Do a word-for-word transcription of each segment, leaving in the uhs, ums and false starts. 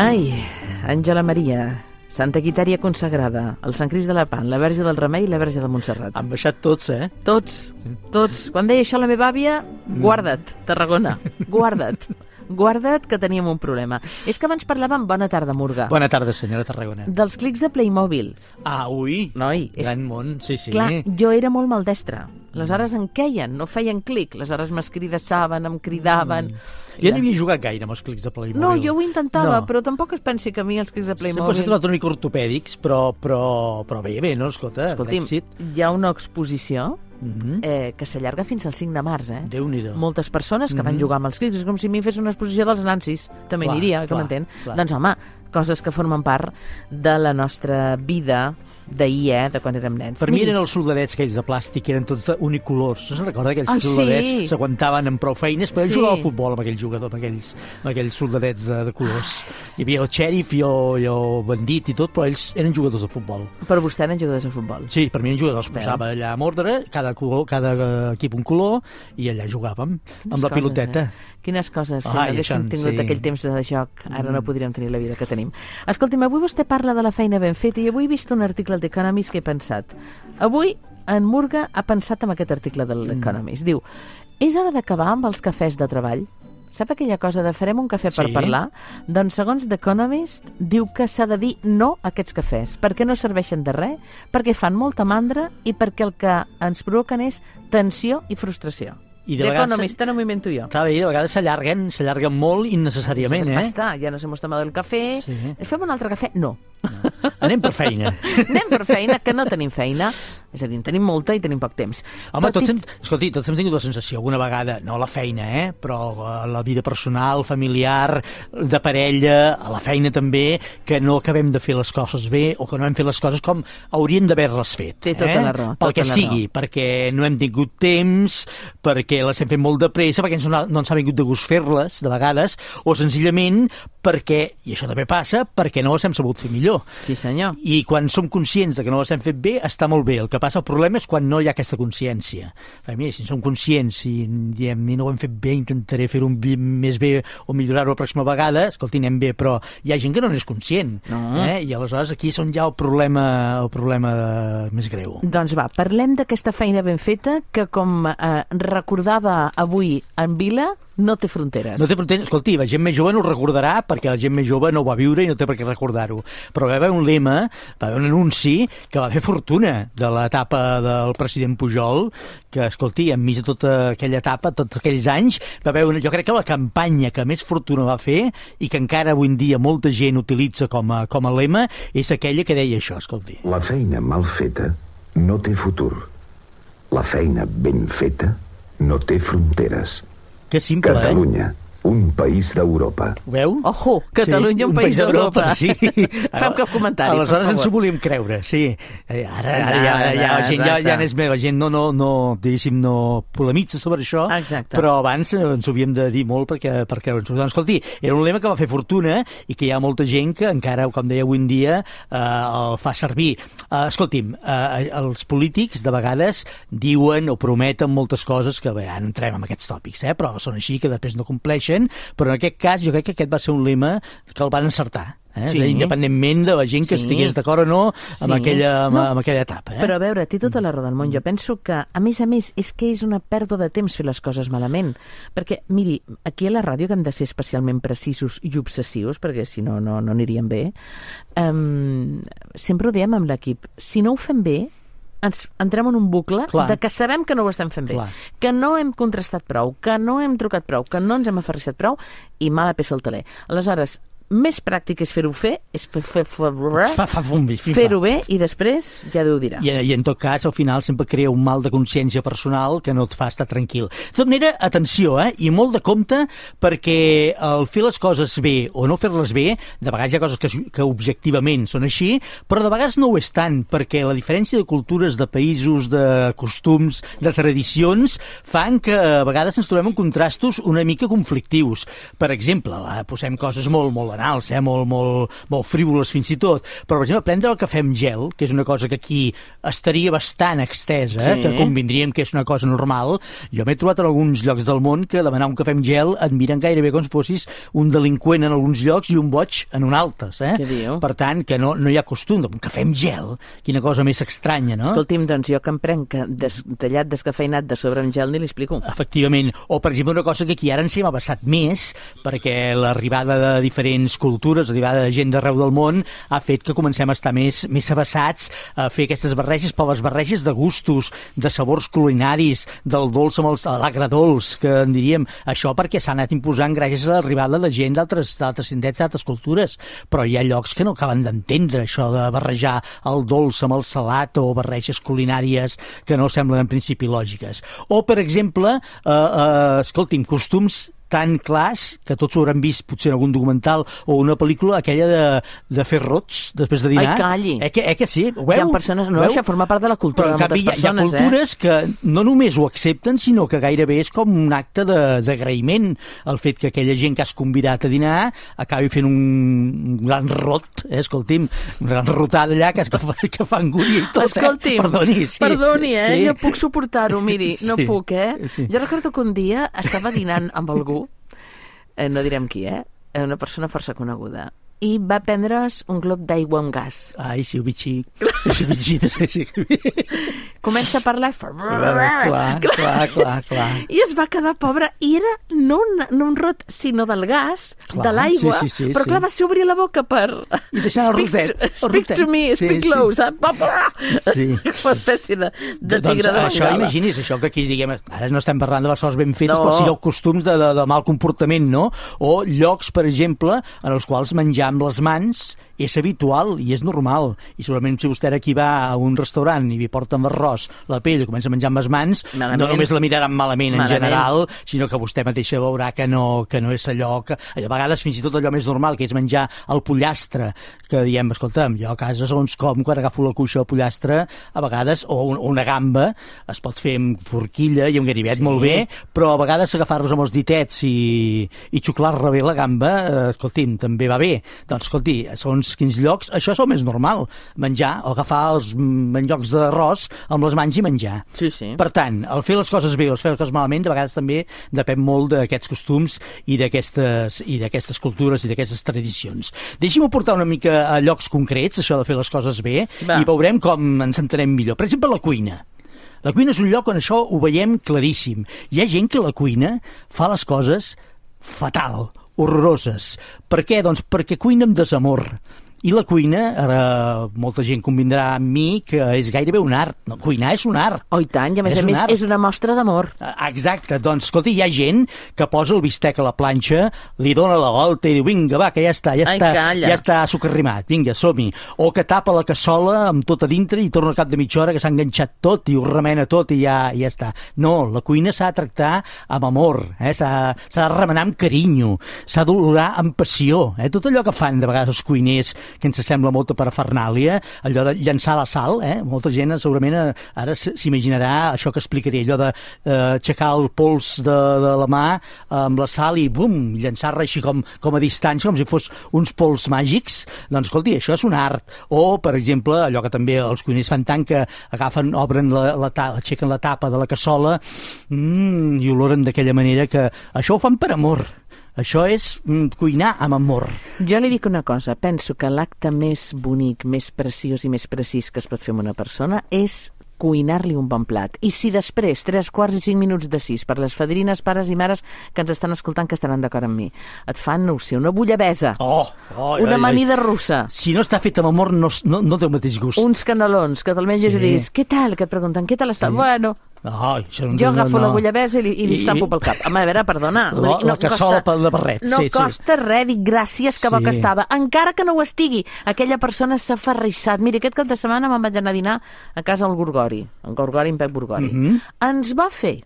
Ai, Àngela Maria, Santa Quitèria consagrada, el Sant Crist de la Pan, la Verge del Remei i la Verge de Montserrat. Han baixat tots, eh? Tots, tots. Quan deia això la meva àvia, guarda't, Tarragona, guarda't. Guarda't que teníem un problema. És que abans parlàvem, bona tarda, Murga. Bona tarda, senyora Tarragona. Dels clics de Playmobil. Ah, ui, Noi, és... gran món, sí, sí. Clar, jo era molt maldestra. Aleshores em queien, no feien clic. Aleshores m'escridaven, em cridaven... Mm. Jo no havia jugat gaire amb els clics de Playmobil. No, jo ho intentava, no. però tampoc es pensi que a mi els clics de Playmobil... Sempre s'ha trobat una mica ortopèdics, però, però, però bé, bé, no? Escolta, escolti'm, d'èxit. Hi ha una exposició Mm-hmm. eh, que s'allarga fins al cinc de març, eh? Déu-n'hi-do. Moltes persones que Mm-hmm. van jugar amb els clics. És com si a mi fes una exposició dels nancis. També Clar, aniria, que clar, m'entén? clar. Doncs home, coses que formen part de la nostra vida d'ahir, eh? De quan érem nens. Per mi eren els soldadets aquells de plàstic, que eren tots unicolors. No se'n recorda aquells Ah, soldadets? sí. S'aguantaven amb prou feines, però Sí. ell jugava a futbol amb aquell jugador, amb aquells, amb aquells soldadets de, de colors. Hi havia el xèrif i el, i el bandit i tot, però ells eren jugadors de futbol. Però vostè eren jugadors de futbol. Sí, per mi eren jugadors. Veu. Posava allà amb ordre, cada, color, cada equip un color, i allà jugàvem Quines amb la coses, piloteta. Eh? Quines coses, si Ai, no haguéssim això, tingut sí. aquell temps de joc, ara no podríem tenir la vida que tenim. Escolti'm, avui vostè parla de la feina ben feta i avui he vist un article al The Economist que he pensat. Avui en Murga ha pensat en aquest article de l'Economist. Diu, és hora d'acabar amb els cafès de treball? Sap aquella cosa de farem un cafè per Sí. parlar? Doncs segons The Economist diu que s'ha de dir no a aquests cafès, perquè no serveixen de res, perquè fan molta mandra i perquè el que ens provoquen és tensió i frustració. I de The vegades- Economist, no m'ho invento jo. Clar, bé, de vegades s'allarguen, s'allarguen molt innecessàriament, eh? Basta, ja nos hemos tomado el cafè. Sí. Fem un altre cafè? No. Anem per feina. Anem per feina, que no tenim feina. És a dir, en tenim molta i tenim poc temps. Home, tots hem, Petits- escolti, tots hem tingut la sensació alguna vegada, no a la feina, eh? Però a la vida personal, familiar, de parella, a la feina també, que no acabem de fer les coses bé o que no hem fet les coses com haurien d'haver-les fet. Té tota eh? la raó, Pel tota que la sigui, perquè no hem tingut temps, perquè les hem fet molt de pressa, perquè ens no, no ens ha vingut de gust fer-les, de vegades, o senzillament perquè, i això també passa, perquè no les hem sabut fer millor. Sí, senyor. I quan som conscients de que no les hem fet bé, està molt bé. El que passa, el problema és quan no hi ha aquesta consciència. A mi, si som conscients i diem, no ho hem fet bé, intentaré fer-ho més bé o millorar-ho la pròxima vegada, escolti, anem bé, però hi ha gent que no n'és conscient. No. Eh? I aleshores aquí és on hi ha el problema, el problema més greu. Doncs va, parlem d'aquesta feina ben feta que, com eh, recordava avui en Vila, no té fronteres. No té fronteres. Escolti, la gent més jove no ho recordarà perquè la gent més jove no ho va viure i no té per què recordar-ho. Però va haver un lema, va haver un anunci que va fer fortuna de l'etapa del president Pujol, que, escolti, enmig de tota aquella etapa, tots aquells anys, va haver una, jo crec que la campanya que més fortuna va fer i que encara avui en dia molta gent utilitza com a, com a lema és aquella que deia això, escolti. La feina mal feta no té futur. La feina ben feta no té fronteres. Que simple, Catalunya, eh? un país d'Europa. Ho veu? Ojo, Catalunya, Sí, un país d'Europa. Sí. Fem cap comentari, per Aleshores favor. ens ho volíem creure, sí. Eh, Ara, ara, ja, ara, ja, la gent ja, Exacte. ja n'és meva, la gent no, no, no, diguéssim, no polemitza sobre això, Exacte. però abans ens ho havíem de dir molt perquè, per creure'ns-ho. Doncs, escolti, era un lema que va fer fortuna i que hi ha molta gent que encara, com deia avui en dia, eh, el fa servir. Eh, escolti'm, eh, els polítics de vegades diuen o prometen moltes coses que bé, ara no entrem en aquests tòpics, eh, però són així, que després no compleixen, però en aquest cas jo crec que aquest va ser un lema que el van encertar. Eh? Sí. Independentment de la gent que Sí. estigués d'acord o no amb, Sí. aquella, amb, No. amb aquella etapa. Eh? Però a veure, té tota la raó del món. Jo penso que, a més a més, és que és una pèrdua de temps fer les coses malament. Perquè, miri, aquí a la ràdio que hem de ser especialment precisos i obsessius, perquè si no, no, no aniríem bé, um, sempre ho diem amb l'equip. Si no ho fem bé, ens entrem en un bucle Clar. de que sabem que no ho estem fent bé, Clar. que no hem contrastat prou, que no hem trucat prou, que no ens hem aferrissat prou i mala peça al taler. Aleshores, més pràctic és fer-ho fer, és fer, fer, fer, Fa, fa, fumbi, fi, fa. fer-ho bé i després ja Déu dirà. I, I en tot cas, al final sempre crea un mal de consciència personal que no et fa estar tranquil. De tota manera, atenció, eh? I molt de compte, perquè el fer les coses bé o no fer-les bé, de vegades hi ha coses que, que objectivament són així, però de vegades no ho és tant, perquè la diferència de cultures, de països, de costums, de tradicions, fan que a vegades ens trobem en contrastos una mica conflictius. Per exemple, eh, posem coses molt, molt banals, eh? molt, molt, molt frívoles fins i tot. Però, per exemple, prendre el cafè amb gel, que és una cosa que aquí estaria bastant extesa, sí. que convindríem que és una cosa normal, jo m'he trobat en alguns llocs del món que demanar un cafè amb gel et miren gairebé com si fossis un delinqüent en alguns llocs i un boig en un altres. Eh? Què diu? Per tant, que no, no hi ha costum d'un cafè amb gel. Quina cosa més estranya, no? Escolti'm, doncs jo que em prenc des, tallat descafeinat de sobre amb gel ni l'explico. Efectivament. O, per exemple, una cosa que aquí ara ens hem abassat més, perquè l'arribada de diferents cultures, l'arribada de gent d'arreu del món, ha fet que comencem a estar més, més abassats a fer aquestes barreges, però les barreges de gustos, de sabors culinaris, del dolç amb els, l'agradolç, que en diríem. Això perquè s'ha anat imposant gràcies a l'arribada de gent d'altres indrets, d'altres cultures. Però hi ha llocs que no acaben d'entendre això de barrejar el dolç amb el salat o barreges culinàries que no semblen en principi lògiques. O, per exemple, eh, eh, escolti'm, costums tan clars, que tots ho hauran vist potser en algun documental o una pel·lícula, aquella de, de fer rots després de dinar. Ai, calli! Eh que, eh que sí? Ho hi ha persones, no, això forma part de la cultura de moltes persones, hi ha, hi ha cultures eh? que no només ho accepten, sinó que gairebé és com un acte d'agraïment el fet que aquella gent que has convidat a dinar acabi fent un, un gran rot, eh? Escolti'm, una gran rotada allà que, que, que fa angúnia i tot. Escolti'm, eh? Perdoni, sí. Perdoni, eh? Sí. Jo puc suportar-ho, miri, no sí. puc, eh? Sí. Jo recordo que un dia estava dinant amb algú, eh, no direm qui, eh? Una persona força coneguda, i va prendre's un glob d'aigua amb gas. Ai, sí, ho veig xic. Sí, ho veig xic. Comença a parlar... Clar, clar, clar, clar. I es va quedar pobre, i era no un, no un rot, sinó del gas, clar, de l'aigua, sí, sí, sí, però clar, sí. va ser obrir la boca per... I deixar el rotet. To, speak to me, sí, speak sí. low, saps? Sí. Una espècie de, de doncs, tigre de això, Bengala. imagini's, això que aquí, diguem, ara no estem parlant de les coses ben fetes, no. però sigueu costums de, de, de mal comportament, no? O llocs, per exemple, en els quals menjar amb les mans és habitual i és normal. I segurament si vostè aquí va a un restaurant i li porten l'arròs, la pell, i comença a menjar amb les mans, malament. No només la miraran malament, malament en general, sinó que vostè mateixa veurà que no, que no és allò que... A vegades fins i tot allò més normal, que és menjar el pollastre, que diem, escolta'm, jo a casa segons com, quan agafo la cuixa del pollastre, a vegades, o un, una gamba, es pot fer amb forquilla i amb ganivet, sí. Molt bé, però a vegades agafar-los amb els ditets i, i xuclar-la bé la gamba, eh, escolti'm, també va bé. Doncs, escolti, segons quins llocs, això és el més normal, menjar o agafar els llocs d'arròs amb les mans i menjar. Sí, sí. Per tant, el fer les coses bé o el fer les coses malament, de vegades també depèn molt d'aquests costums i d'aquestes i d'aquestes cultures i d'aquestes tradicions. Deixi'm portar una mica a llocs concrets, això de fer les coses bé, va. I veurem com ens entenem millor. Per exemple, la cuina. La cuina és un lloc on això ho veiem claríssim. Hi ha gent que la cuina fa les coses fatal, horroroses. Per què? Doncs perquè cuina amb desamor. I la cuina, ara molta gent convindrà amb mi que és gairebé un art. No, cuinar és un art. Oh, i tant, i a més és a més és una mostra d'amor. Exacte, doncs, escolta, hi ha gent que posa el bistec a la planxa, li dona la volta i diu, vinga, va, que ja està, ja Ai, està, calla. ja està socarrimat, vinga, som-hi. O que tapa la cassola amb tot a dintre i torna al cap de mitja hora que s'ha enganxat tot i ho remena tot i ja, ja està. No, la cuina s'ha de tractar amb amor, eh? s'ha de remenar amb carinyo, s'ha d'olorar amb passió. Eh? Tot allò que fan de vegades els cuiners que ens sembla molta parafernàlia, allò de llançar la sal, eh? Molta gent segurament ara s'imaginarà això que explicaré, allò de eh, aixecar el pols de, de la mà amb la sal i bum, llançar-la així com, com a distància, com si fos uns pols màgics. Doncs escolti, això és un art. O, per exemple, allò que també els cuiners fan tant, que agafen, obren la, la tapa, aixequen la tapa de la cassola mmm, i oloren d'aquella manera, que això ho fan per amor. Això és mm, cuinar amb amor. Jo li dic una cosa, penso que l'acte més bonic, més preciós i més precís que es pot fer amb una persona és cuinar-li un bon plat. I si després, tres quarts i cinc minuts de sis, per les fadrines, pares i mares que ens estan escoltant, que estaran d'acord amb mi, et fan, no ho sé, una bullabesa, oh, oh, una ai, amanida ai. russa, si no està fet amb amor no, no, no té el mateix gust, uns canelons, que te'l menges sí. I dius, què tal? Que et pregunten, què tal està? Sí. Bueno... Oh, jo agafo no, no. la bullabesa i li, i li estampo pel cap. Home, a veure, perdona. La, no la cassola pel de barret. No sí, costa sí. res, dic gràcies que sí. bo que estava. Encara que no ho estigui, aquella persona s'ha ferrissat. Mira, aquest cap de setmana me'n vaig anar a dinar a casa al Gorgori, en Gorgori, en Pep Gorgori. Mm -hmm. Ens va fer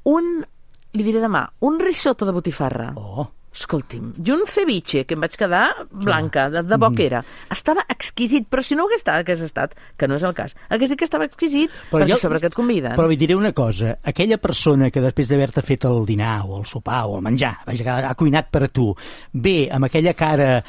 un, li diré demà, un risotto de botifarra. Oh. Escolti'm, i un ceviche, que em vaig quedar blanca, de, de bo que era. Estava exquisit, però si no ho hagués estat, hagués estat, que no és el cas, hagués dit que estava exquisit, però perquè jo, sobre què et conviden. Però vi diré una cosa, aquella persona que després d'haver-te fet el dinar, o el sopar, o el menjar, vaja, que ha cuinat per a tu, ve amb aquella cara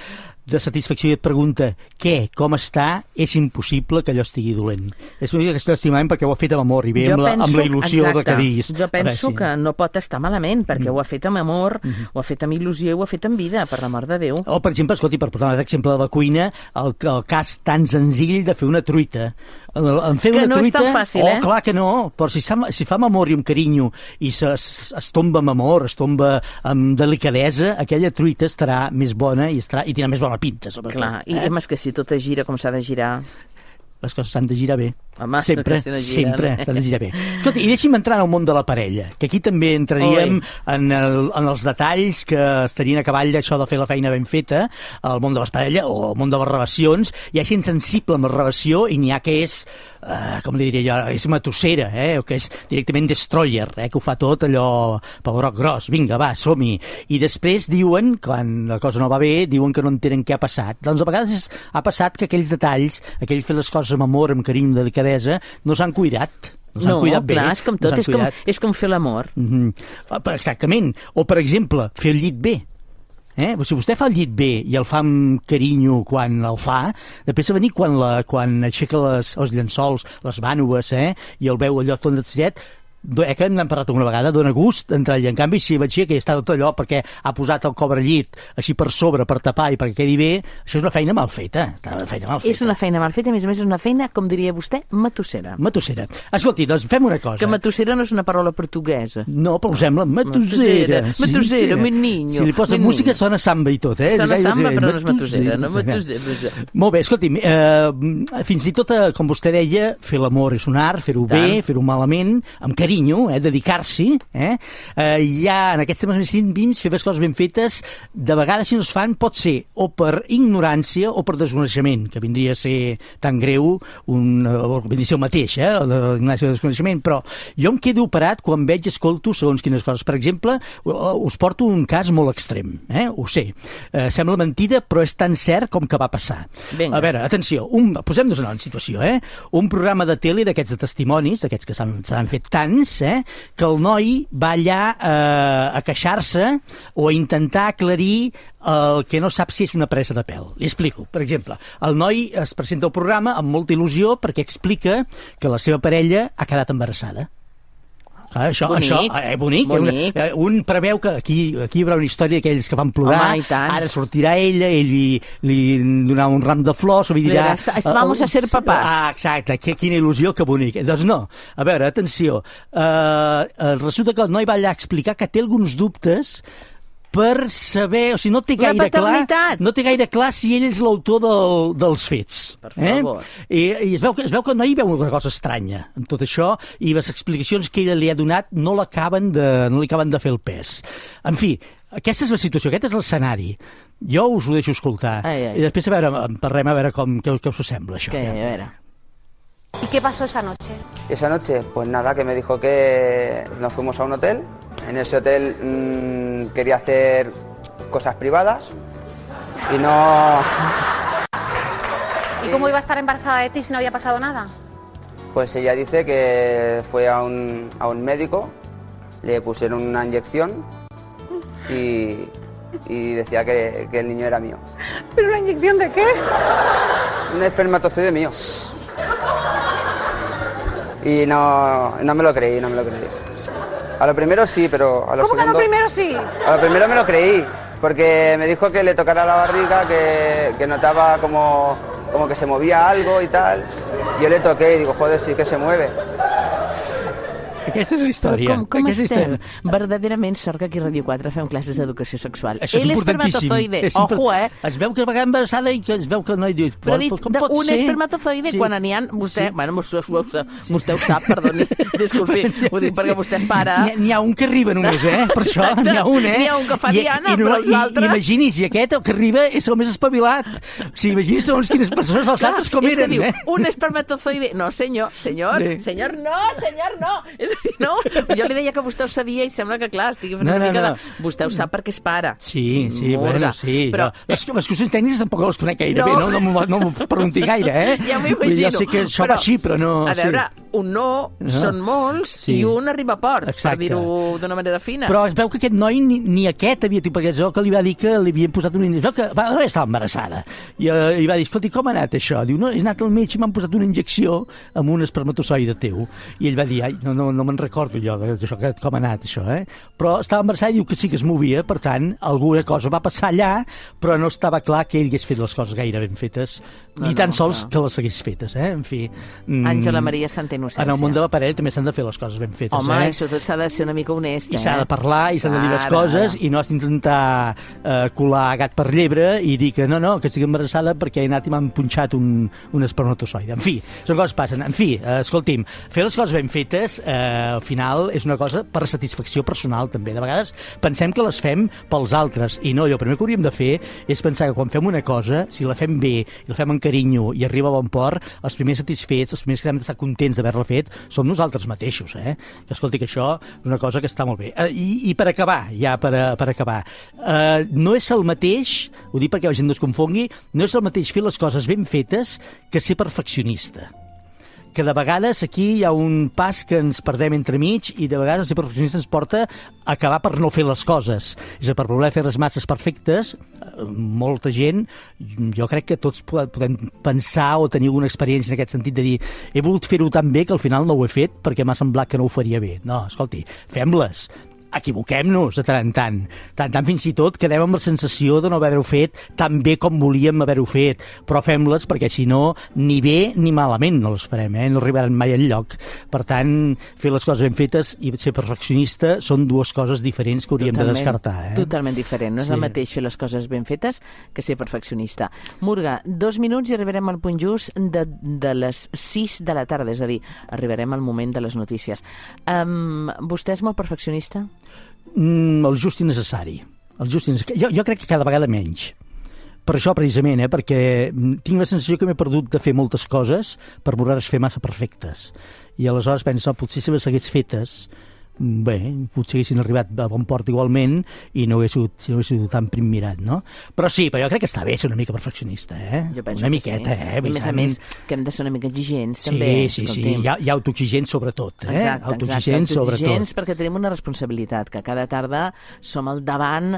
de satisfacció i et pregunta què, com està, és impossible que allò estigui dolent. És una mica que estic estimant perquè ho ha fet amb amor i ve amb la, penso, amb la il·lusió exacte, de que diguis. Jo penso veure, sí. que no pot estar malament perquè mm. ho ha fet amb amor, mm -hmm. ho ha fet amb il·lusió i ho ha fet amb vida, per l'amor de Déu. O, per exemple, escolti, per portar un exemple de la cuina, el, el cas tan senzill de fer una truita. En fer que una no truita, és tan fàcil, oh, eh? clar que no, però si, si fa amb amor i amb carinyo i se, es, es tomba amb amor, es tomba amb delicadesa, aquella truita estarà més bona i, estarà, i tindrà més bona pinta, sobretot. Clar, i eh? és que si tot es gira com s'ha de girar... Les coses s'han de girar bé. Home, sempre, si no giren, sempre eh? s'han de girar bé. Escolta, i deixi'm entrar en el món de la parella, que aquí també entraríem en, el, en els detalls que estarien a cavall d'això de fer la feina ben feta, el món de les parelles o el món de les relacions. Hi ha gent sensible amb la relació i n'hi ha que és, eh, com li diria jo, és matossera, eh, o que és directament destroyer, eh, que ho fa tot allò pebroc gros, vinga, va, som-hi. I després diuen, quan la cosa no va bé, diuen que no entenen què ha passat. Doncs a vegades ha passat que aquells detalls, aquells fer les coses amb amor, amb carinyo, amb delicadesa, no s'han cuidat. No s'han no, cuidat bé. clar, és com tot, no és, com, és com fer l'amor. Mm-hmm. Exactament. O, per exemple, fer el llit bé. Eh? Si vostè fa el llit bé i el fa amb carinyo quan el fa, després de venir quan, la, quan aixeca les, els llençols, les vànoves, eh? I el veu allò tot estrellat, eh, que n'hem parlat una vegada, dona gust entrar-hi. En canvi, si veig que està tot allò perquè ha posat el cobrellit així per sobre, per tapar i perquè quedi bé, això és una feina mal feta. Una feina mal feta. És una feina mal feta, a més a més és una feina, com diria vostè, matossera. Matossera. Escolti, doncs fem una cosa. Que matossera no és una paraula portuguesa. No, però ho sembla matossera. Matossera, mi niño. Si li posa música sona samba i tot, eh? Sona samba, però no és matossera. No, matossera. Molt bé, escolti, eh, fins i tot, com vostè deia, fer l'amor és un art, fer-ho bé, fer-ho malament, amb carinyo, eh, dedicar-s'hi, eh? Eh, hi ha, en aquests temes més íntims, fer les coses ben fetes, de vegades si no es fan pot ser o per ignorància o per desconeixement, que vindria a ser tan greu, un, o vindria a ser el mateix, eh, l'ignorància o el desconeixement, però jo em quedo operat quan veig, escolto segons quines coses. Per exemple, us porto un cas molt extrem, eh? Ho sé, eh, sembla mentida, però és tan cert com que va passar. Vinga. A veure, atenció, un, posem-nos en una situació, eh? Un programa de tele d'aquests de testimonis, d'aquests que s'han fet tants, eh? Que el noi va allà eh, a queixar-se o a intentar aclarir el que no sap si és una presa de pèl. Li explico. Per exemple, el noi es presenta al programa amb molta il·lusió perquè explica que la seva parella ha quedat embarassada. Ah, això, bonic, això, eh, bonic. bonic. Un, un preveu que aquí, aquí hi haurà una història d'aquells que van plorar. Home, ara sortirà ella, ell li, li donarà un ram de flors, o li dirà... Vamos a ser papàs. Ah, exacte, que, quina il·lusió, que bonic. Doncs no, a veure, atenció, uh, resulta que el noi va allà a explicar que té alguns dubtes per saber, o sigui, no té gaire clar, no té gaire clar si ell és l'autor del, dels fets. Per favor. Eh? I, i es, veu que, es veu que el noi veu una cosa estranya en tot això i les explicacions que ella li ha donat no l'acaben de, no li acaben de fer el pes. En fi, aquesta és la situació, aquest és l'escenari. Jo us ho deixo escoltar. Ai, ai. I després a veure, parlem a veure com, què, què us sembla això. Que, a veure. ¿Y qué pasó esa noche? Esa noche, pues nada, que me dijo que nos fuimos a un hotel. En ese hotel mmm, quería hacer cosas privadas y no... ¿Y cómo iba a estar embarazada de ti si no había pasado nada? Pues ella dice que fue a un, a un médico, le pusieron una inyección y, y decía que, que el niño era mío. ¿Pero una inyección de qué? Un espermatozoide mío. Y no, no me lo creí, no me lo creí. A lo primero sí, pero a lo ¿Cómo segundo... que a lo primero sí? A lo primero me lo creí, porque me dijo que le tocara la barriga, que, que notaba como, como que se movía algo y tal. Yo le toqué y digo, joder, sí que se mueve. Aquesta és la història. Però com, com Aquesta estem? història. Verdaderament sort que aquí a Ràdio quatre fem classes d'educació sexual. Això és Ell importantíssim. espermatozoide, És import... ojo, eh? Es veu que va quedar embarassada i que es veu que el noi diu... Però dit, com pot un ser? espermatozoide, Sí. quan n'hi ha... Vostè, Sí. bueno, vostè, vostè, vostè ho sap, perdoni, disculpi, ho dic perquè vostè és pare. N'hi ha, n'hi ha un que arriba només, eh? Per això, Exacte. n'hi ha un, eh? N'hi ha un que fa I, diana, i, no, però els i, altres- I imagini's, i aquest, el que arriba, és el més espavilat. O sigui, imagini's segons quines persones, els Clar, altres com és eren, que diu, eh? un espermatozoide... No, senyor, senyor, Sí. senyor, no, senyor, no. És... No? Jo li deia que vostè ho sabia i sembla que, clar, estigui fent No, una no, mica no. de... Vostè ho sap perquè és pare. Sí, sí, Murga. bueno, sí. Però... Jo, les, les qüestions tècniques tampoc les conec gaire No. bé, no, no, m'ho- no m'ho pregunti gaire, eh? Ja m'ho Vull dir, imagino. Jo sé que això Però, va així, però no... A veure, sí. un no, No. són molts Sí. i un arriba a port, Exacte. per dir-ho d'una manera fina. Però es veu que aquest noi ni, ni aquest havia tingut, perquè es veu que li va dir que li havien posat una injecció, que va, estava embarassada. I, uh, i va dir, escolti, com ha anat això? Diu, no, he anat al metge i m'han posat una injecció amb un espermatozoide teu. I ell va dir, ai, no, no, no me'n recordo jo d'això, que, com ha anat això, eh? Però estava embarassada i diu que sí que es movia, per tant, alguna cosa va passar allà, però no estava clar que ell hagués fet les coses gaire ben fetes, No, ni tan no, sols no. que les hagués fetes, eh? En fi... mm, Àngela Maria Santa Innocència. En el món de l'aparell també s'han de fer les coses ben fetes, Home, eh? i sobretot s'ha de ser una mica honest, I eh? s'ha de parlar, i s'han de dir les Ara, coses, ara. i no has d'intentar eh, colar gat per llebre i dir que no, no, que estic embarassada perquè he anat i m'han punxat un, un espermatozoide. En fi, són coses que passen. En fi, eh, escolti'm, fer les coses ben fetes, eh, al final, és una cosa per satisfacció personal, també. De vegades pensem que les fem pels altres, i no, i el primer que hauríem de fer és pensar que quan fem una cosa, si la fem bé, i la fem amb carinyo, i arriba a bon port, els primers satisfets, els primers que hem d'estar contents d'haver-la fet, som nosaltres mateixos, eh? Que escolti, que això és una cosa que està molt bé. Eh, i, I per acabar, ja per, a, per acabar, eh, no és el mateix, ho dic perquè la gent no es confongui, no és el mateix fer les coses ben fetes que ser perfeccionista. Que de vegades aquí hi ha un pas que ens perdem entremig i de vegades ser perfeccionista ens porta a acabar per no fer les coses. És a dir, per voler fer les masses perfectes, eh, molta gent, jo crec que tots po- podem pensar o tenir alguna experiència en aquest sentit de dir he volgut fer-ho tan bé que al final no ho he fet perquè m'ha semblat que no ho faria bé. No, escolti, fem-les. Equivoquem-nos de tant en tant. Tant tant fins i tot quedem amb la sensació de no haver-ho fet tan bé com volíem haver-ho fet, però fem-les perquè si no, ni bé ni malament no les farem, eh? No arribaran mai enlloc. Per tant, fer les coses ben fetes i ser perfeccionista són dues coses diferents que hauríem Totalment, de descartar. Eh? Totalment diferent. No és Sí. el mateix fer les coses ben fetes que ser perfeccionista. Murga, dos minuts i arribarem al punt just de, de les sis de la tarda, és a dir, arribarem al moment de les notícies. Um, vostè és molt perfeccionista? Mm, el just i necessari. El just i necessari. Jo, jo crec que cada vegada menys. Per això, precisament, eh? Perquè mm, tinc la sensació que m'he perdut de fer moltes coses per voler-les fer massa perfectes. I aleshores penso, potser si les hagués fetes, bé, potser haguessin arribat a bon port igualment i no hagués sigut, si no hagués sigut tan prim mirat, no? Però sí, però jo crec que està bé ser una mica perfeccionista, eh? Jo penso una que miqueta, sí. eh? I a més a tant. més, que hem de ser una mica exigents, Sí, també. sí, sí, escolti'm. hi ha, hi ha autoexigents sobretot, eh? Exacte, autoexigents exacte. Autoexigents sobretot. perquè tenim una responsabilitat, que cada tarda som al davant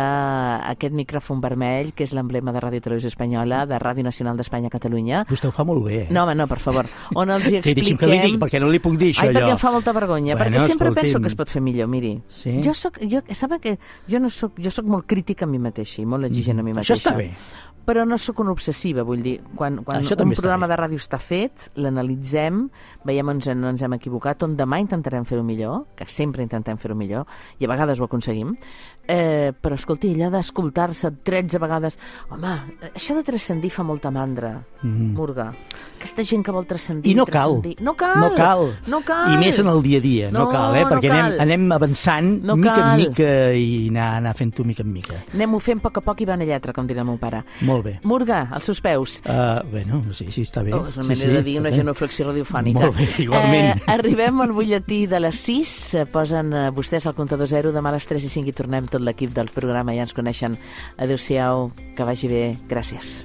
d'aquest micròfon vermell, que és l'emblema de Ràdio Televisió Espanyola, de Ràdio Nacional d'Espanya Catalunya. Vostè ho fa molt bé, eh? No, home, no, per favor. On els hi Sí, deixi'm expliquem... que li digui, perquè no li puc dir això, Ai, perquè jo. em fa molta vergonya, Bueno, perquè sempre escolti'm. penso que es pot fer millor, miri. Sí? Jo soc, jo, saben que jo no soc, jo soc molt crítica a mi mateixa i molt exigent a mi mateixa. Això està bé. Però no sóc una obsessiva, vull dir, quan, quan Això un també està programa bé. de ràdio està fet, l'analitzem, veiem on ens, ens hem equivocat, on demà intentarem fer-ho millor, que sempre intentem fer-ho millor, i a vegades ho aconseguim, eh, però escolti, allò d'escoltar-se tretze vegades, home, això de transcendir fa molta mandra, mm. Murga. Aquesta gent que vol transcendir... I no cal. transcendir. No cal. No cal. No cal. I més en el dia a dia, no, No, cal, eh? no Perquè cal. anem, anem avançant No mica cal. en mica i anar, anar fent-ho mica en mica. Anem-ho fent a poc a poc i va una lletra, com dirà el meu pare. Molt bé. Murga, als seus peus. Uh, bueno, sí, sí, està bé. Oh, és una sí, manera sí, de dir una bé. genuflexió radiofònica. Molt bé, igualment. Eh, arribem al butlletí de les sis, eh, posen eh, vostès al comptador zero, demà a les tres i cinc i tornem tot l'equip del programa, ja ens coneixen. Adéu-siau, que vagi bé, gràcies.